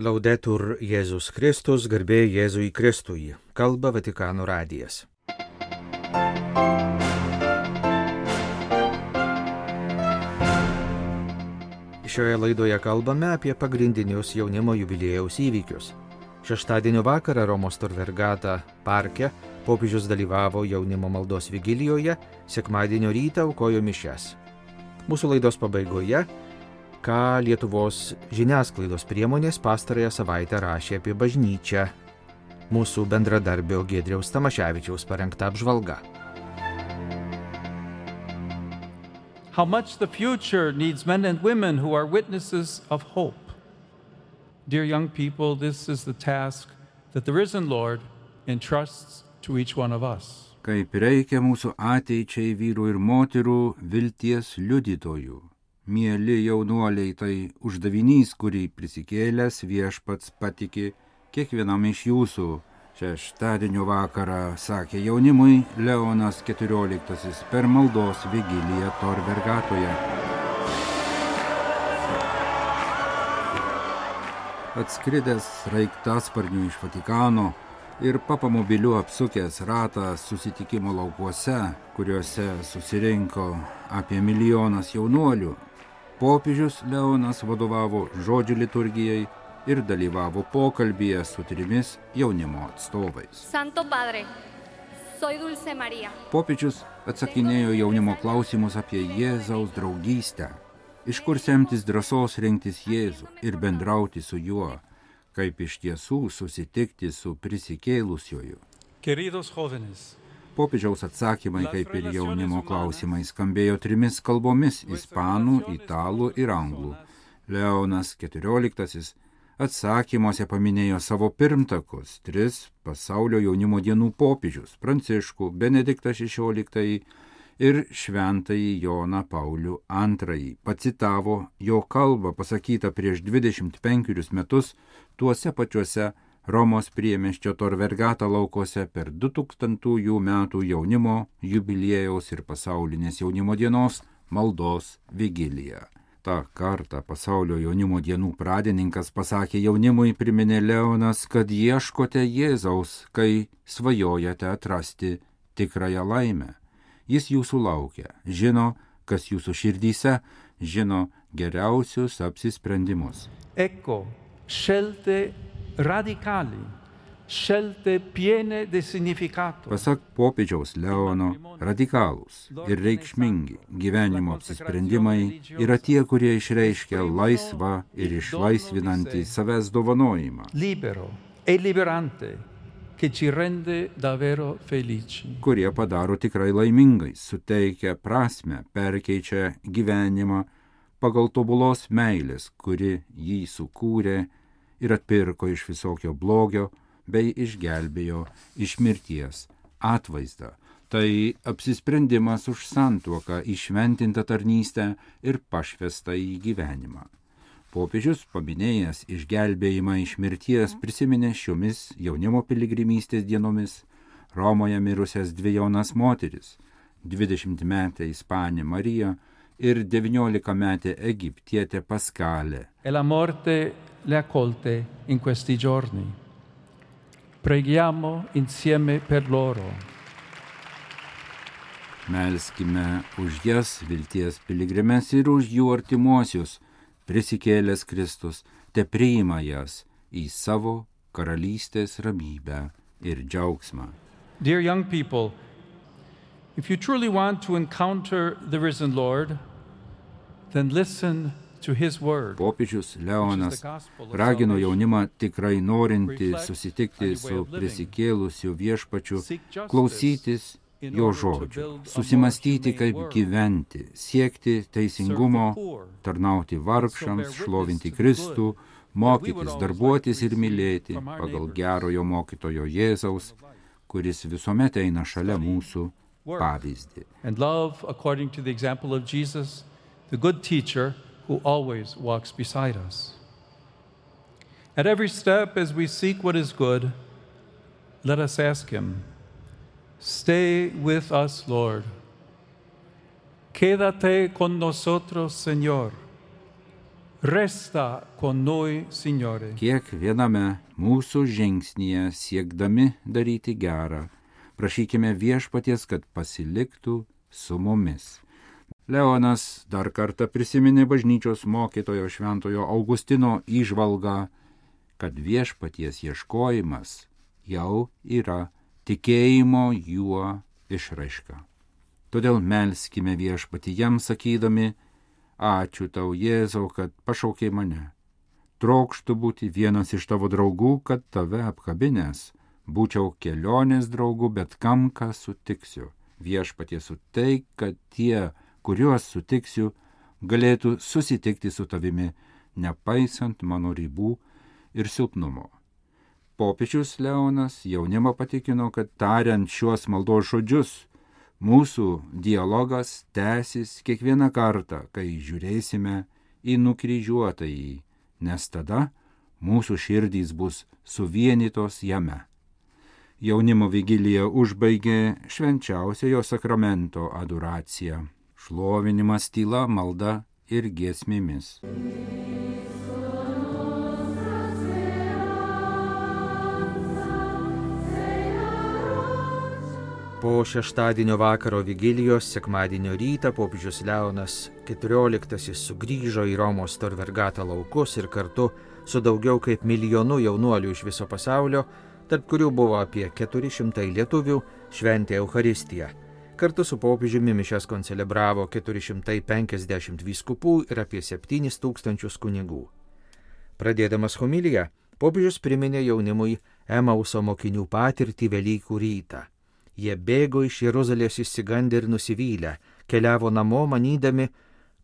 Laudetur Jėzus Kristus, garbė Jėzui Kristui, kalba Vatikano radijas. Šioje laidoje kalbame apie pagrindinius jaunimo jubiliejaus įvykius. Šeštadienio vakarą Romos Tor Vergata parke popiežius dalyvavo jaunimo maldos vigilijoje, sekmadienio rytą aukojo mišias. Mūsų laidos pabaigoje ką Lietuvos žiniasklaidos priemonės pastarąją savaitę rašė apie bažnyčią. Mūsų bendradarbio Giedriaus Tamaševičiaus parengta apžvalga. How much the future needs men and women who are witnesses of hope. Dear young people, this is the task that the risen Lord entrusts to each one of us. Kaip reikia mūsų ateičiai vyrų ir moterų vilties liudytojų. Mieli jaunuoliai, tai uždavinys, kurį prisikėlęs viešpats patiki kiekvienam iš jūsų. Šeštadienio vakarą sakė jaunimui Leonas XIV per maldos vigiliją Tor Vergatoje. Atskridęs sraigtasparniu iš Vatikano ir papamobiliu apsukęs ratą susitikimo laukuose, kuriuose susirinko apie 1 milijonas jaunuolių, popiežius Leonas vadovavo žodžių liturgijai ir dalyvavo pokalbyje su 3 jaunimo atstovais. Santo Padre, soy Dulce María. Popiežius atsakinėjo jaunimo klausimus apie Jėzaus draugystę, iš kur semtis drąsos rinktis Jėzų ir bendrauti su juo, kaip iš tiesų susitikti su prisikėlusiuoju. Queridos jóvenes, Popiežiaus atsakymai, kaip ir jaunimo klausimai, skambėjo 3 kalbomis – ispanų, italų ir anglų. Leonas XIV atsakymuose paminėjo savo pirmtakus, 3 pasaulio jaunimo dienų popiežius – Pranciškų, Benediktą XVI ir Šventąjį Joną Paulių II. Pacitavo jo kalbą pasakytą prieš 25 metus tuose pačiuose Romos priemiesčio Tor Vergata laukuose per 2000 metų jaunimo jubiliejaus ir pasaulinės jaunimo dienos maldos vigiliją. Ta kartą pasaulio jaunimo dienų pradininkas pasakė jaunimui, priminė Leonas, kad ieškote Jėzaus, kai svajojate atrasti tikrąją laimę. Jis jūsų laukia, žino, kas jūsų širdyse, žino geriausius apsisprendimus. ecco, scelte radicali, scelte piene di significato. Pasak popiežiaus Leono, radikalūs ir reikšmingi gyvenimo apsisprendimai yra tie, kurie išreiškia laisvą ir išlaisvinantį savęs dovanojimą, Libero e liberante, che ci rende davvero felici. kurie padaro tikrai laimingais, suteikia prasmę, perkeičia gyvenimą pagal tobulos meilės, kuri jį sukūrė ir atpirko iš visokio blogio bei išgelbėjo iš mirties atvaizdą. Tai apsisprendimas už santuoką, įšventintą tarnystę ir pašvestą į gyvenimą. Popiežius, paminėjęs išgelbėjimą iš mirties, prisiminė šiomis jaunimo piligrimystės dienomis Romoje mirusias 2 jaunas moteris, 20-metę Ispanę Mariją ir 19-metę Egiptietę Paskalę. E la morte le accolte in questi giorni. Preghiamo insieme per loro. Melskime už jas, vilties piligrimes, ir už jų artimuosius. Prisikėlęs Kristus te priima jas į savo karalystės ramybę ir džiaugsmą. Dear young people, if you truly want to encounter the risen Lord, then listen to his word. Popiežius Leonas ragino jaunimą tikrai norinti susitikti su prisikėlusiu viešpačiu, klausytis jo žodžių, susimastyti, kaip gyventi, siekti teisingumo, tarnauti vargšams, šlovinti Kristų, mokytis, darbuotis ir mylėti pagal gerojo mokytojo Jėzaus, kuris visuomet eina šalia mūsų pavyzdį. And love according to the example of Jesus, the good teacher who always walks beside us. At every step as we seek what is good, let us ask him, stay with us, Lord. Quédate con nosotros, Señor. Resta con noi, Signore. Kiekviename mūsų žingsnyje siekdami daryti gerą, prašykime Viešpaties, kad pasiliktų su mumis. Leonas dar kartą prisiminė bažnyčios mokytojo šventojo Augustino įžvalgą, kad Viešpaties ieškojimas jau yra tikėjimo juo išraiška. Todėl melskime Viešpatį jam sakydami: ačiū tau, Jėzau, kad pašaukei mane. Trokštu būti vienas iš tavo draugų, kad tave apkabinęs būčiau kelionės draugų, bet kam ką sutiksiu. Viešpatie suteik, kad tie, kuriuos sutiksiu, galėtų susitikti su tavimi, nepaisant mano ribų ir silpnumo. Popiežius Leonas jaunimą patikino, kad tariant šiuos maldos žodžius, mūsų dialogas tęsis kiekvieną kartą, kai žiūrėsime į nukryžiuotąjį, nes tada mūsų širdys bus suvienytos jame. Jaunimo vigiliją užbaigė švenčiausiojo sakramento adoracija, šlovinimas, tyla, malda ir giesmėmis. Po šeštadienio vakaro vigilijos, sekmadienio rytą popiežius Leonas XIV sugrįžo į Romos Tor Vergata laukus ir kartu su daugiau kaip milijonu jaunuolių iš viso pasaulio, tarp kurių buvo apie 400 lietuvių, šventė Eucharistiją. Kartu su popiežiumi mišias koncelebravo 450 vyskupų ir apie 7000 kunigų. Pradėdamas homiliją, popiežius priminė jaunimui Emauso mokinių patirtį Velykų rytą. Jie bėgo iš Jeruzalės išsigandę ir nusivylę, keliavo namo manydami,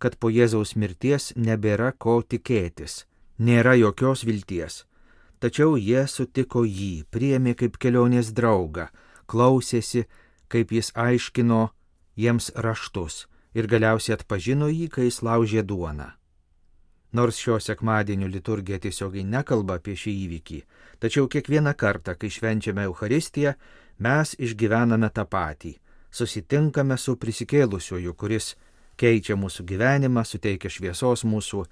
kad po Jėzaus mirties nebėra ko tikėtis, nėra jokios vilties. Tačiau jie sutiko jį, priėmė kaip kelionės draugą, klausėsi, kaip jis aiškino jiems raštus ir galiausiai atpažino jį, kai jis laužė duoną. Nors šio sekmadienio liturgija tiesiogiai nekalba apie šį įvykį, tačiau kiekvieną kartą, kai švenčiame Eucharistiją, mes išgyvename tą patį, susitinkame su prisikėlusiuoju, kuris keičia mūsų gyvenimą, suteikia šviesos mūsų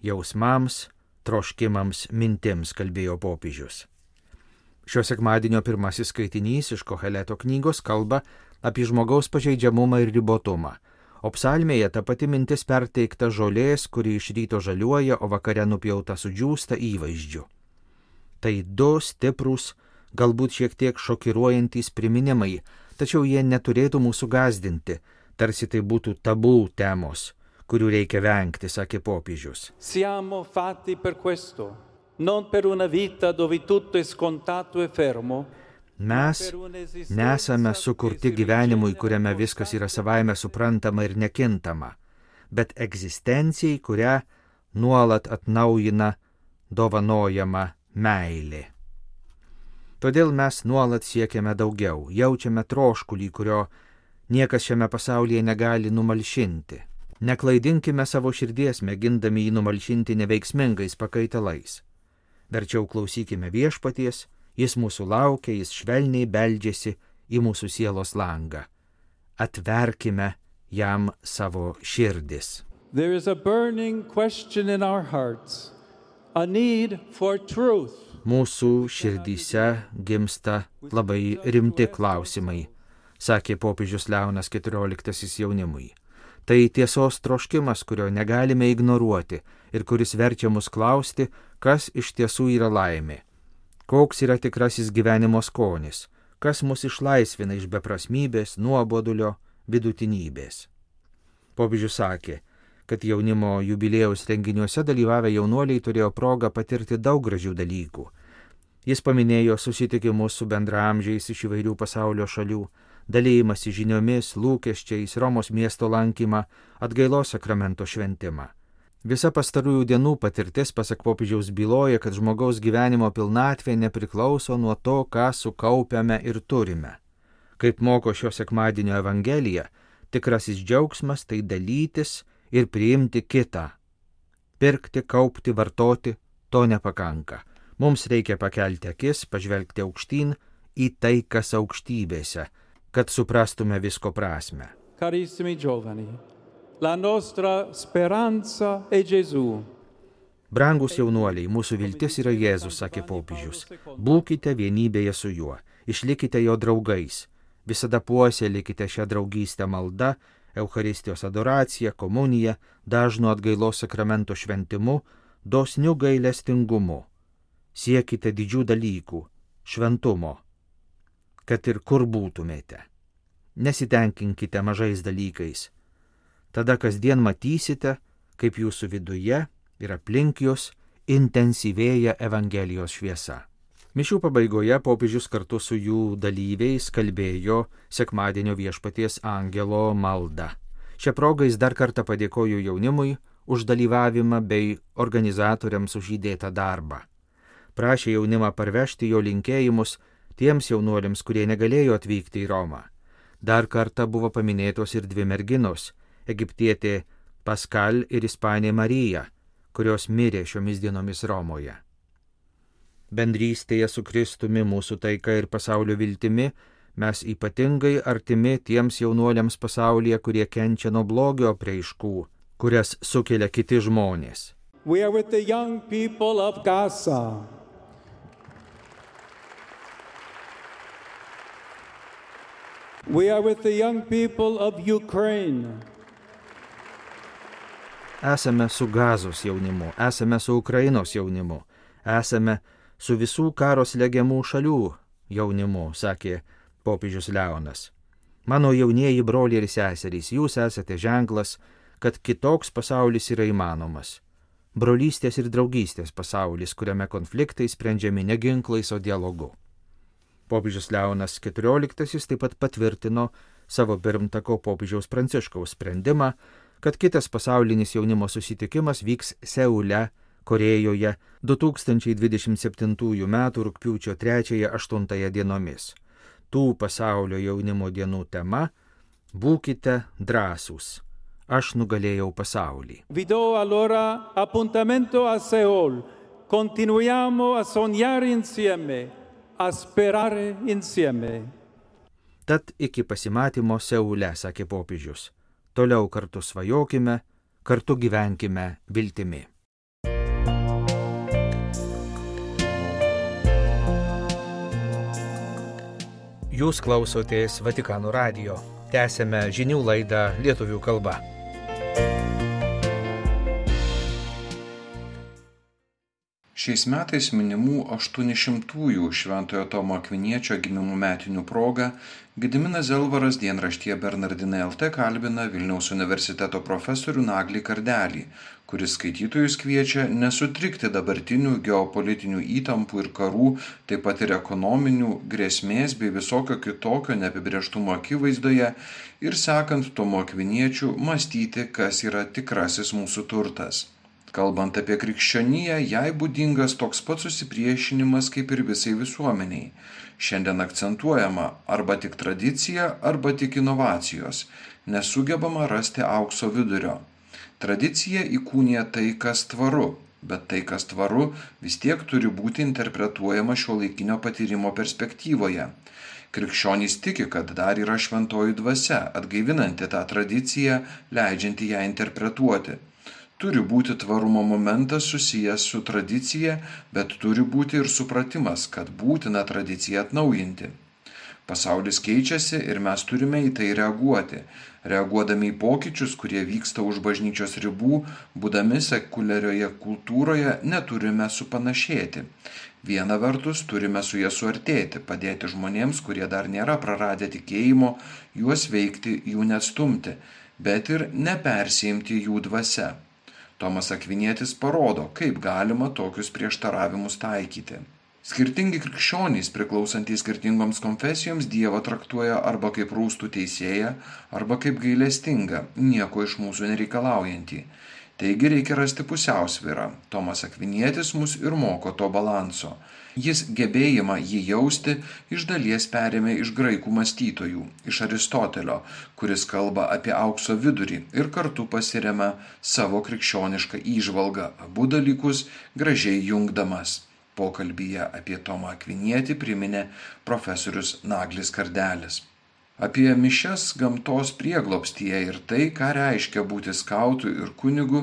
jausmams, troškimams, mintims, kalbėjo popiežius. Šio sekmadienio pirmasis skaitinys iš Koheleto knygos kalba apie žmogaus pažeidžiamumą ir ribotumą, o psalmėje ta pati mintis perteikta žolės, kuri iš ryto žaliuoja, o vakare nupjauta sudžiūsta įvaizdžiu. Tai du stiprūs, galbūt šiek tiek šokiruojantys priminimai, tačiau jie neturėtų mūsų gąsdinti, tarsi tai būtų tabų temos, kurių reikia vengti, sakė popiežius. Siamo fatti per questo, non per una vita dove tutto è scontato e fermo. Mes nesame sukurti gyvenimui, kuriame viskas yra savaime suprantama ir nekintama, bet egzistencijai, kurią nuolat atnaujina dovanojama meilė. Todėl mes nuolat siekiame daugiau, jaučiame troškulį, kurio niekas šiame pasaulyje negali numalšinti. Neklaidinkime savo širdies, mėgindami jį numalšinti neveiksmingais pakaitalais. Verčiau klausykime Viešpaties, jis mūsų laukia, jis švelniai beldžiasi į mūsų sielos langą. Atverkime jam savo širdis. There is a burning question in our hearts, a need for truth. Mūsų širdyse gimsta labai rimti klausimai, sakė popiežius Leonas XIV jaunimui. Tai tiesos troškimas, kurio negalime ignoruoti ir kuris verčia mus klausti, kas iš tiesų yra laimė, koks yra tikrasis gyvenimo skonis, kas mus išlaisvina iš beprasmybės, nuobodulio, vidutinybės. Popiežius sakė, kad jaunimo jubiliejaus renginiuose dalyvavę jaunuoliai turėjo progą patirti daug gražių dalykų. Jis paminėjo susitikimus su bendraamžiais iš įvairių pasaulio šalių, dalėjimąsi žiniomis, lūkesčiais, Romos miesto lankymą, atgailos sakramento šventimą. Visa pastarųjų dienų patirtis, pasak popiežiaus, byloja, kad žmogaus gyvenimo pilnatvė nepriklauso nuo to, ką sukaupiame ir turime. Kaip moko šio sekmadienio Evangelija, tikrasis džiaugsmas tai dalytis ir priimti kitą. Pirkti, kaupti, vartoti to nepakanka. Mums reikia pakelti akis, pažvelgti aukštyn į tai, kas aukštybėse, kad suprastume visko prasme. Carissimi giovani, la nostra speranza è Gesù. Brangus jaunuoliai, mūsų viltis yra Jėzus, sakė popiežius. Būkite vienybėje su juo, išlikite jo draugais, visada puoselėkite šią draugystę malda, Eucharistijos adoracija, komunija, dažnu atgailos sakramento šventimu, dosniu gailestingumu. Siekite didžių dalykų, šventumo, kad ir kur būtumėte. Nesitenkinkite mažais dalykais. Tada kasdien matysite, kaip jūsų viduje ir aplink jūs intensyvėja Evangelijos šviesa. Mišių pabaigoje popiežius kartu su jų dalyviais kalbėjo sekmadienio viešpaties angelo maldą. Šią progą jis dar kartą padėkojo jaunimui už dalyvavimą bei organizatoriams už įdėtą darbą. Prašė jaunimą parvežti jo linkėjimus tiems jaunuoliams, kurie negalėjo atvykti į Romą. Dar kartą buvo paminėtos ir dvi merginos – egiptietė Paskal ir ispanė Marija, kurios mirė šiomis dienomis Romoje. Bendrystėje su Kristumi, mūsų taika ir pasaulio viltimi mes ypatingai artimi tiems jaunuoliams pasaulyje, kurie kenčia nuo blogio apraiškų, kurias sukelia kiti žmonės. We are with the young people of Gaza. We are with the young people of Ukraine. Esame su Gazos jaunimu, esame su Ukrainos jaunimu, esame su visų karo slegiamų šalių jaunimu, sakė popiežius Leonas. Mano jaunieji broliai ir seserys, jūs esate ženklas, kad kitoks pasaulis yra įmanomas. Brolystės ir draugystės pasaulis, kuriame konfliktai sprendžiami ne ginklais, o dialogu. Popiežius Leonas XIV taip pat patvirtino savo pirmtako popiežiaus Pranciškaus sprendimą, kad kitas pasaulinis jaunimo susitikimas vyks Seule, Korėjoje 2027 m. rugpjūčio 3-8 dienomis. Tų pasaulio jaunimo dienų tema – būkite drąsūs. Aš nugalėjau pasaulį. Vi do allora appuntamento a Seul. Continuiamo a sognare insieme, a sperare insieme. Tad iki pasimatymo Seule, sakė popiežius. Toliau kartu svajokime, kartu gyvenkime viltimi. Jūs klausotės Vatikano radijo. Tęsėme žinių laidą lietuvių kalba. Šiais metais minimų 800-ųjų Šventojo Tomo Akviniečio gimimo metinių proga Gediminas Zelvaras dienraštyje Bernardinai LT kalbina Vilniaus universiteto profesorių Naglį Kardelį, kuris skaitytojus kviečia nesutrikti dabartinių geopolitinių įtampų ir karų, taip pat ir ekonominių grėsmės bei visokio kitokio neapibrėžtumo akivaizdoje ir sekant Tomo Akviniečiu mąstyti, kas yra tikrasis mūsų turtas. Kalbant apie krikščioniją, jai būdingas toks pat susipriešinimas kaip ir visai visuomeniai. Šiandien akcentuojama arba tik tradicija, arba tik inovacijos. Nesugebama rasti aukso vidurio. Tradicija įkūnija tai, kas tvaru, bet tai, kas tvaru, vis tiek turi būti interpretuojama šiuolaikinio patyrimo perspektyvoje. Krikščionys tiki, kad dar yra šventoji dvasia, atgaivinanti tą tradiciją, leidžianti ją interpretuoti. Turi būti tvarumo momentas susijęs su tradicija, bet turi būti ir supratimas, kad būtina tradiciją atnaujinti. Pasaulis keičiasi ir mes turime į tai reaguoti. Reaguodami į pokyčius, kurie vyksta už bažnyčios ribų, būdami sekuliarioje kultūroje, neturime supanašėti. Viena vertus turime su ja suartėti, padėti žmonėms, kurie dar nėra praradę tikėjimo, juos veikti, jų neatstumti, bet ir nepersiimti jų dvasia. Tomas Akvinietis parodo, kaip galima tokius prieštaravimus taikyti. Skirtingi krikščionys, priklausantys skirtingoms konfesijoms, Dievą traktuoja arba kaip rūstų teisėją, arba kaip gailestingą, nieko iš mūsų nereikalaujantį. Taigi reikia rasti pusiausvyrą. Tomas Akvinietis mus ir moko to balanso. Jis gebėjimą jį jausti iš dalies perėmė iš graikų mąstytojų, iš Aristotelio, kuris kalba apie aukso vidurį ir kartu pasiremia savo krikščionišką įžvalgą, abu dalykus gražiai jungdamas. Pokalbyje apie Tomą Akvinietį priminė profesorius Naglis Kardelis. Apie mišias gamtos prieglobstyje ir tai, ką reiškia būti skautu ir kunigu,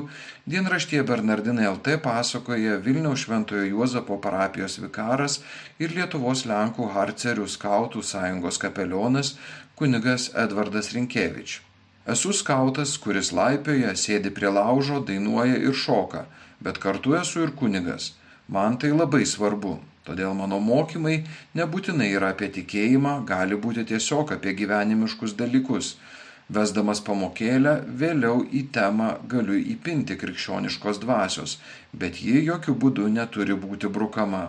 dienraštyje Bernardinai LT pasakoja Vilniaus Šventojo Juozapo parapijos vikaras ir Lietuvos Lenkų Harcerių skautų sąjungos kapelionas kunigas Edvardas Rinkevič. Esu skautas, kuris laipioja, sėdi prie laužo, dainuoja ir šoka, bet kartu esu ir kunigas. Man tai labai svarbu. Todėl mano mokymai nebūtinai yra apie tikėjimą, gali būti tiesiog apie gyvenimiškus dalykus. Vesdamas pamokėlę, vėliau į temą galiu įpinti krikščioniškos dvasios, bet ji jokių būdų neturi būti brukama.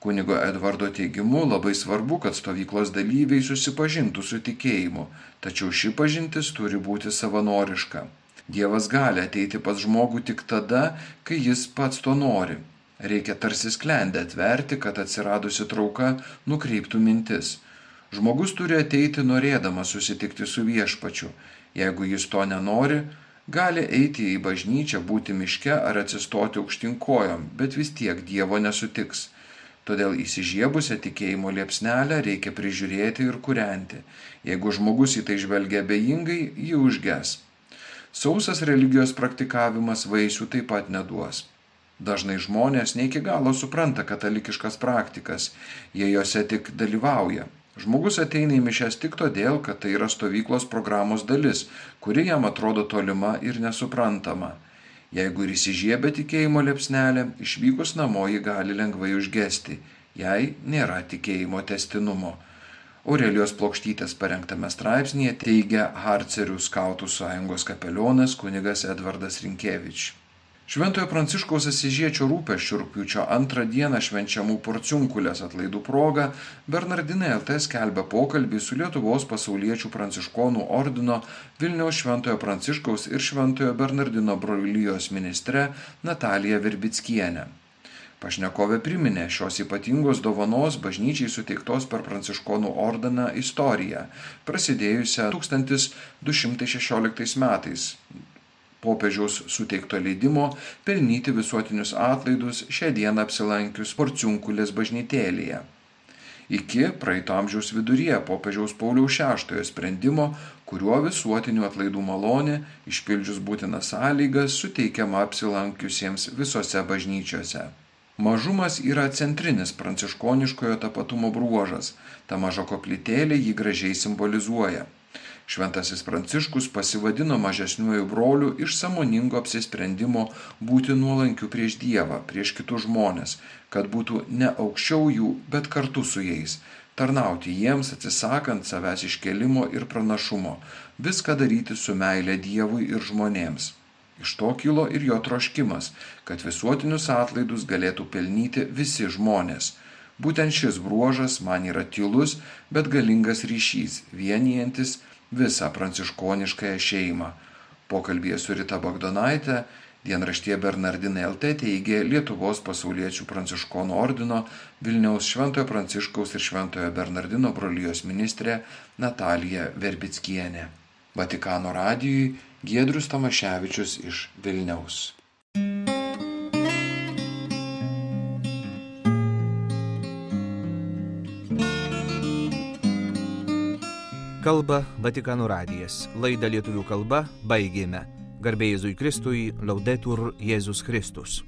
Kunigo Edvardo teigimu labai svarbu, kad stovyklos dalyviai susipažintų su tikėjimu, tačiau ši pažintis turi būti savanoriška. Dievas gali ateiti pas žmogų tik tada, kai jis pats to nori. Reikia tarsi sklendę atverti, kad atsiradusi trauka nukreiptų mintis. Žmogus turi ateiti norėdamas susitikti su viešpačiu. Jeigu jis to nenori, gali eiti į bažnyčią, būti miške ar atsistoti aukštyn kojom, bet vis tiek Dievo nesutiks. Todėl įsižiebusią tikėjimo liepsnelę reikia prižiūrėti ir kūrenti. Jeigu žmogus į tai žvelgia abejingai, ji užges. Sausas religijos praktikavimas vaisių taip pat neduos. Dažnai žmonės ne iki galo supranta katalikiškas praktikas, jie jose tik dalyvauja. Žmogus ateina į mišias tik todėl, kad tai yra stovyklos programos dalis, kuri jam atrodo tolima ir nesuprantama. Jeigu ir įsižiebia tikėjimo liepsnelė, išvykus namo ji gali lengvai užgesti, jei nėra tikėjimo tęstinumo. Aurelijos Plokštytės parengtame straipsnėje teigia Harcerių skautų sąjungos kapelionas kunigas Edvardas Rinkevič. Šventojo Pranciškaus Asyžiečio rūpesčių rugpjūčio 2 dieną švenčiamų Porciunkulės atlaidų proga Bernardinai LT skelbia pokalbį su Lietuvos pasauliečių pranciškonų ordino Vilniaus Šventojo Pranciškaus ir Šventojo Bernardino brolijos ministre Natalija Verbickiene. Pašnekovė priminė šios ypatingos dovanos bažnyčiai suteiktos per pranciškonų ordiną istoriją, prasidėjusią 1216 metais. Popiežiaus suteikto leidimo pelnyti visuotinius atlaidus šią dieną apsilankius Porciunkulės bažnytėlėje. Iki praeito amžiaus viduryje popiežiaus Pauliaus VI sprendimo, kuriuo visuotinių atlaidų malonė, išpildžius būtinas sąlygas, suteikiama apsilankiusiems visose bažnyčiose. Mažumas yra centrinis pranciškoniškojo tapatumo bruožas, ta maža koplytėlė jį gražiai simbolizuoja. Šventasis Pranciškus pasivadino mažesniuoju broliu iš sąmoningo apsisprendimo būti nuolankiu prieš Dievą, prieš kitus žmonės, kad būtų ne aukščiau jų, bet kartu su jais, tarnauti jiems atsisakant savęs iškelimo ir pranašumo, viską daryti su meile Dievui ir žmonėms. Iš to kilo ir jo troškimas, kad visuotinius atlaidus galėtų pelnyti visi žmonės. Būtent šis bruožas man yra tylus, bet galingas ryšys, vienijantis visą pranciškoniškąją šeimą. Pokalbyje su Rita Bagdonaitė dienraštyje Bernardinai LT teigė Lietuvos pasauliečių pranciškonų ordino Vilniaus Šventojo Pranciškaus ir Šventojo Bernardino brolijos ministrė Natalija Verbickienė. Vatikano radijui Giedrius Tamaševičius iš Vilniaus. Kalba Vatikano radijas. Laidą lietuvių kalba baigėme. Garbė Jėzui Kristui, Laudetur Jėzus Kristus.